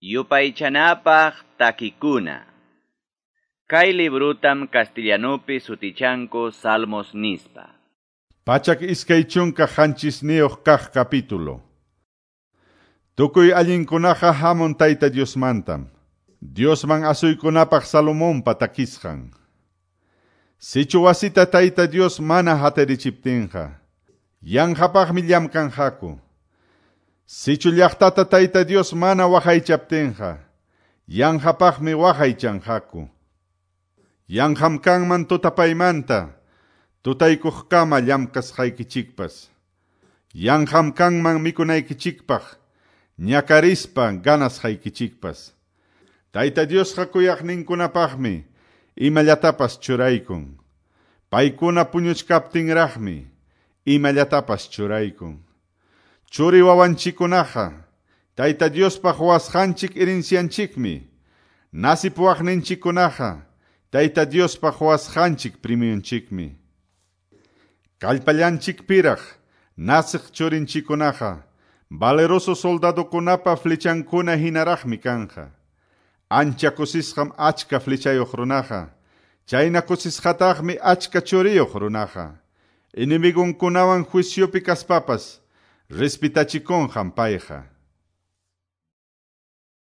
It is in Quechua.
Yupaychanapaq takikuna. Kay librutam castellanupi sutichanku Salmos nispa. 127 kaq capítulo. Tukuy allinkunaqa hamun Tayta Diosmantam. Diosman asuykunapaq Salomonpa takisqan. Sichu wasita Tayta Dios mana hatarichiptinqa, yanqapaqmi llamkanqaku. Sichu llaqtata Tayta Dios mana waqaychaptinqa, yanqapaqmi waqaychanqaku. Yanqam kanman tutapaymanta, tutaykuqkama llamkasqaykichikpas. Yanqam kanman mikunaykichikpaq, ñakarispa ganasqaykichikpas. Tayta Diosqa kuyaqninkunapaqmi imallatapas churaykun. Paykuna puñuchkaptinraqmi imallatapas churaykun. Churi wawanchikkunaqa Tayta Diospaq quwasqanchik herencianchikmi. Nasipuwaqninchikkunaqa Tayta Diospaq quwasqanchik premionchikmi. Kallpallanchikpiraq nasiq churinchikkunaqa valeroso soldadokunapa flechankuna hinaraqmi kanqa. Ancha kusisqam achka flechayuq runaqa, chayna kusisqataqmi achka churiyuq runaqa. Enemigonkunawan juiciopi kaspapas respetachikunqam payqa.